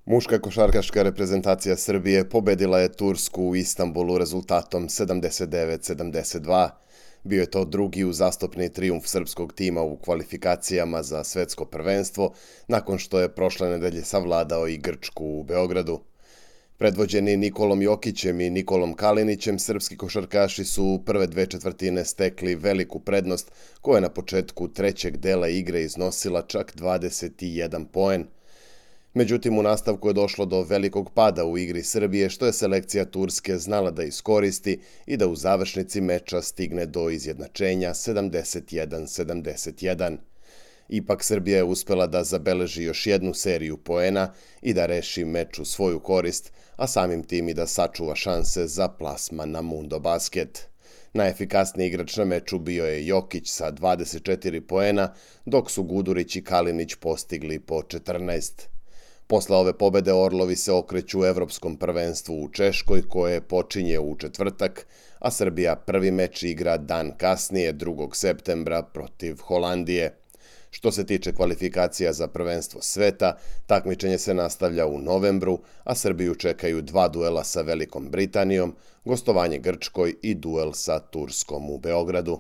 Muška košarkaška reprezentacija Srbije pobedila je Tursku u Istanbulu rezultatom 79-72. Bio je to drugi uzastopni trijumf srpskog tima u kvalifikacijama za svetsko prvenstvo, nakon što je prošle nedelje savladao i Grčku u Beogradu. Predvođeni Nikolom Jokićem i Nikolom Kalinićem, srpski košarkaši su u prve dve četvrtine stekli veliku prednost, koja je na početku trećeg dela igre iznosila čak 21 poen. Međutim, u nastavku je došlo do velikog pada u igri Srbije, što je selekcija Turske znala da iskoristi i da u završnici meča stigne do izjednačenja 71-71. Ipak Srbija je uspela da zabeleži još jednu seriju poena i da reši meč u svoju korist, a samim tim i da sačuva šanse za plasman na Mundo Basket. Najefikasniji igrač na meču bio je Jokić sa 24 poena, dok su Gudurić i Kalinić postigli po 14. Posle ove pobede Orlovi se okreću evropskom prvenstvu u Češkoj, koje počinje u četvrtak, a Srbija prvi meč igra dan kasnije, 2. septembra, protiv Holandije. Što se tiče kvalifikacija za prvenstvo sveta, takmičenje se nastavlja u novembru, a Srbiju čekaju 2 duela sa Velikom Britanijom, gostovanje Grčkoj i duel sa Turskom u Beogradu.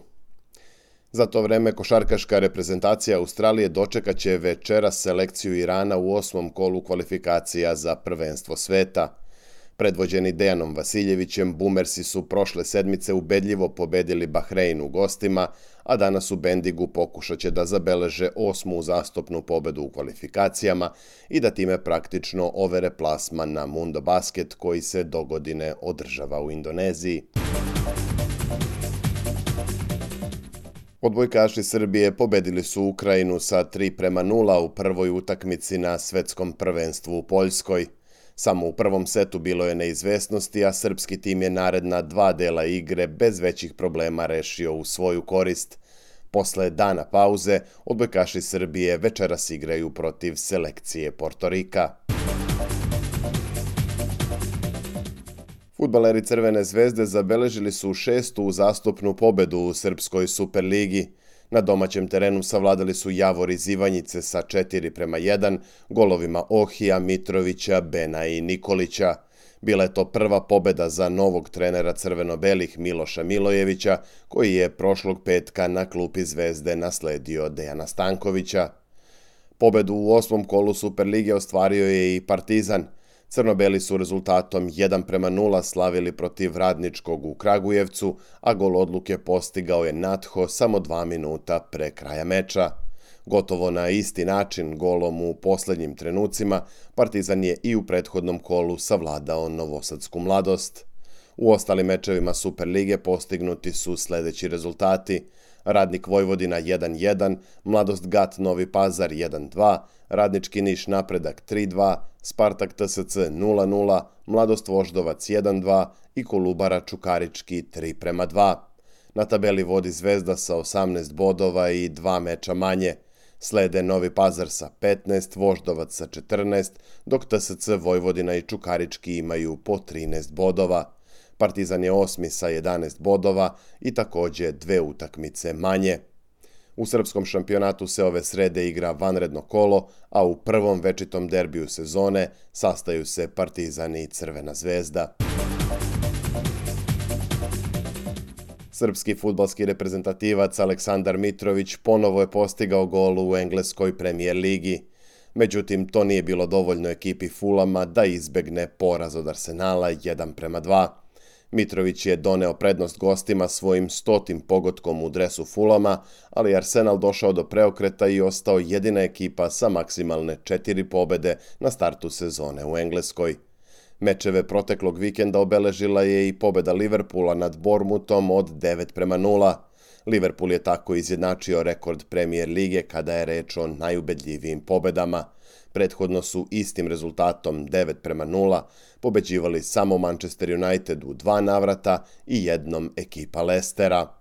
Za to vreme košarkaška reprezentacija Australije dočekaće večeras selekciju Irana u 8. kolu kvalifikacija za prvenstvo sveta. Predvođeni Dejanom Vasiljevićem, Bumersi su prošle sedmice ubedljivo pobedili Bahrein u gostima, a danas u Bendigu pokušaće da zabeleže 8. uzastopnu pobedu u kvalifikacijama i da time praktično overe plasman na Mundo Basket, koji se dogodine održava u Indoneziji. Odbojkaši Srbije pobedili su Ukrajinu sa 3:0 u prvoj utakmici na svetskom prvenstvu u Poljskoj. Samo u prvom setu bilo je neizvesnosti, a srpski tim je naredna 2 dela igre bez većih problema rešio u svoju korist. Posle dana pauze, odbojkaši Srbije večeras igraju protiv selekcije Portorika. Fudbaleri Crvene zvezde zabeležili su 6. uzastopnu pobedu u Srpskoj Superligi. Na domaćem terenu savladali su Javor iz Ivanjice sa 4:1 golovima Ohija, Mitrovića, Bena i Nikolića. Bila je to prva pobeda za novog trenera crveno-belih Miloša Milojevića, koji je prošlog petka na klupi Zvezde nasledio Dejana Stankovića. Pobedu u 8. kolu Superlige ostvario je i Partizan. Crno-beli su rezultatom 1:0 slavili protiv Radničkog u Kragujevcu, a gol odluke postigao je Natho samo 2 minuta pre kraja meča. Gotovo na isti način, golom u poslednjim trenucima, Partizan je i u prethodnom kolu savladao Novosadsku Mladost. U ostalim mečevima Superlige postignuti su sledeći rezultati: Radnik Vojvodina 1:1, Mladost Gat Novi Pazar 1:2, Radnički Niš Napredak 3:2, Spartak TSC 0:0, Mladost Voždovac 1:2 i Kolubara Čukarički 3:2. Na tabeli vodi Zvezda sa 18 bodova i 2 meča manje. Slede Novi Pazar sa 15, Voždovac sa 14, dok TSC Vojvodina i Čukarički imaju po 13 bodova. Partizan je 8. sa 11 bodova i takođe 2 utakmice manje. U srpskom šampionatu se ove srede igra vanredno kolo, a u prvom večitom derbiju sezone sastaju se Partizan i Crvena zvezda. Srpski fudbalski reprezentativac Aleksandar Mitrović ponovo je postigao gol u engleskoj premijer ligi. Međutim, to nije bilo dovoljno ekipi Fulama da izbegne poraz od Arsenala 1:2. Mitrović je doneo prednost gostima svojim 100. pogotkom u dresu Fulama, ali Arsenal došao do preokreta i ostao jedina ekipa sa maksimalne 4 pobede na startu sezone u Engleskoj. Mečeve proteklog vikenda obeležila je i pobeda Liverpoola nad Bournemouthom od 9:0. Liverpool je tako izjednačio rekord Premier lige kada je reč o najubedljivijim pobedama. Prethodno su istim rezultatom 9:0 pobeđivali samo Manchester United u 2 navrata i jednom ekipa Lestera.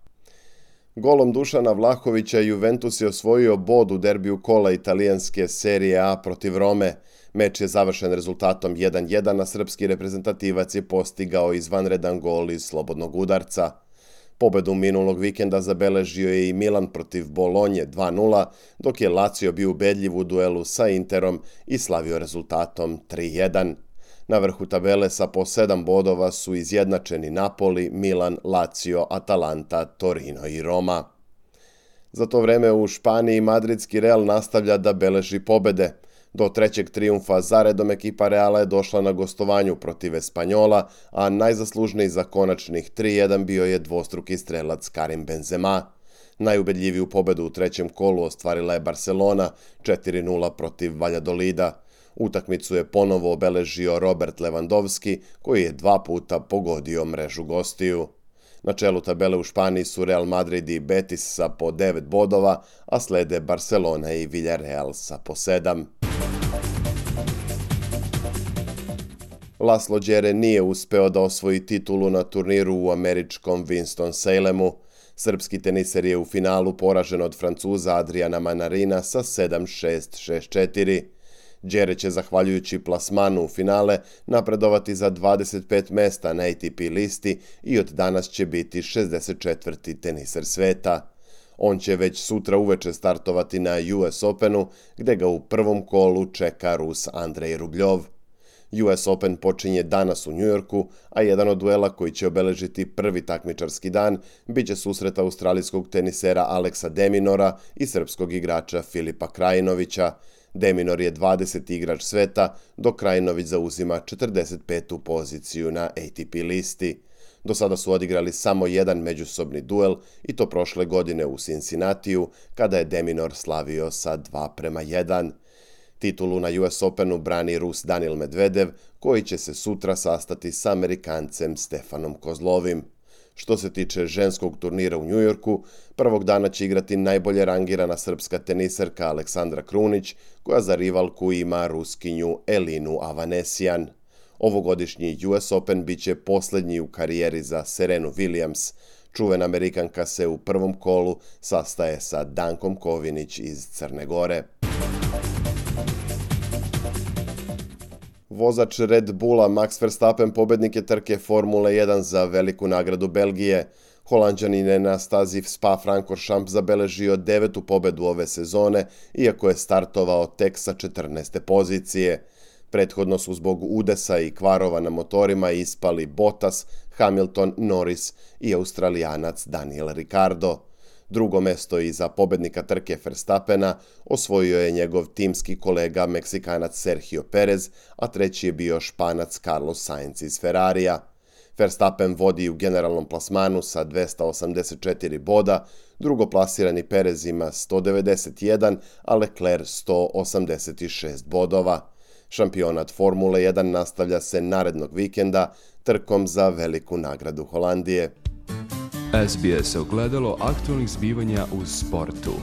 Golom Dušana Vlahovića Juventus je osvojio bod u derbiju kola italijanske Serije A protiv Rome. Meč je završen rezultatom 1:1, a srpski reprezentativac je postigao izvanredan gol iz slobodnog udarca. Pobedu minulog vikenda zabeležio je i Milan protiv Bolonje 2:0, dok je Lazio bio ubedljiv u duelu sa Interom i slavio rezultatom 3:1. Na vrhu tabele sa po 7 bodova su izjednačeni Napoli, Milan, Lazio, Atalanta, Torino i Roma. Za to vreme u Španiji madridski Real nastavlja da beleži pobede. Do trećeg trijumfa zaredom ekipa Reala je došla na gostovanju protiv Espanjola, a najzaslužniji za konačnih 3:1 bio je dvostruki strelac Karim Benzema. Najubedljiviju pobedu u trećem kolu ostvarila je Barcelona 4:0 protiv Valladolida. Utakmicu je ponovo obeležio Robert Lewandowski, koji je 2 puta pogodio mrežu gostiju. Na čelu tabele u Španiji su Real Madrid i Betis sa po 9 bodova, a slede Barcelona i Villarreal sa po 7. Laslo Đere nije uspeo da osvoji titulu na turniru u američkom Winston-Salemu. Srpski teniser je u finalu poražen od Francuza Adriana Manarina sa 7:6, 6:4. Đere će, zahvaljujući plasmanu u finale, napredovati za 25 mesta na ATP listi i od danas će biti 64. teniser sveta. On će već sutra uveče startovati na US Openu, gde ga u prvom kolu čeka Rus Andrej Rubljov. US Open počinje danas u Njujorku, a jedan od duela koji će obeležiti prvi takmičarski dan biće susret australijskog tenisera Aleksa de Minaura i srpskog igrača Filipa Krajinovića. De Minaur je 20. igrač sveta, dok Krajinović zauzima 45. poziciju na ATP listi. Do sada su odigrali samo jedan međusobni duel i to prošle godine u Cincinnatiju, kada je de Minaur slavio sa 2:1. Titulu na US Openu brani Rus Danil Medvedev, koji će se sutra sastati sa Amerikancem Stefanom Kozlovim. Što se tiče ženskog turnira u Njujorku, prvog dana će igrati najbolje rangirana srpska teniserka Aleksandra Krunić, koja za rivalku ima Ruskinju Elinu Avanesijan. Ovogodišnji US Open biće posljednji u karijeri za Serenu Williams. Čuvena Amerikanka se u prvom kolu sastaje sa Dankom Kovinić iz Crne Gore. Vozač Red Bulla Max Verstappen pobednik je trke Formule 1 za veliku nagradu Belgije. Holanđanin je na stazi Spa-Francorchamps zabeležio 9. pobedu ove sezone, iako je startovao tek sa 14. pozicije. Prethodno su zbog udesa i kvarova na motorima ispali Bottas, Hamilton, Norris i Australijanac Daniel Ricciardo. Drugo mesto iza pobednika trke Verstappena osvojio je njegov timski kolega Meksikanac Sergio Perez, a treći je bio Španac Carlos Sainz iz Ferrarija. Verstappen vodi u generalnom plasmanu sa 284 boda, drugoplasirani Perez ima 191, a Leclerc 186 bodova. Šampionat Formule 1 nastavlja se narednog vikenda trkom za veliku nagradu Holandije. SBS ogledalo aktualnih zbivanja u sportu.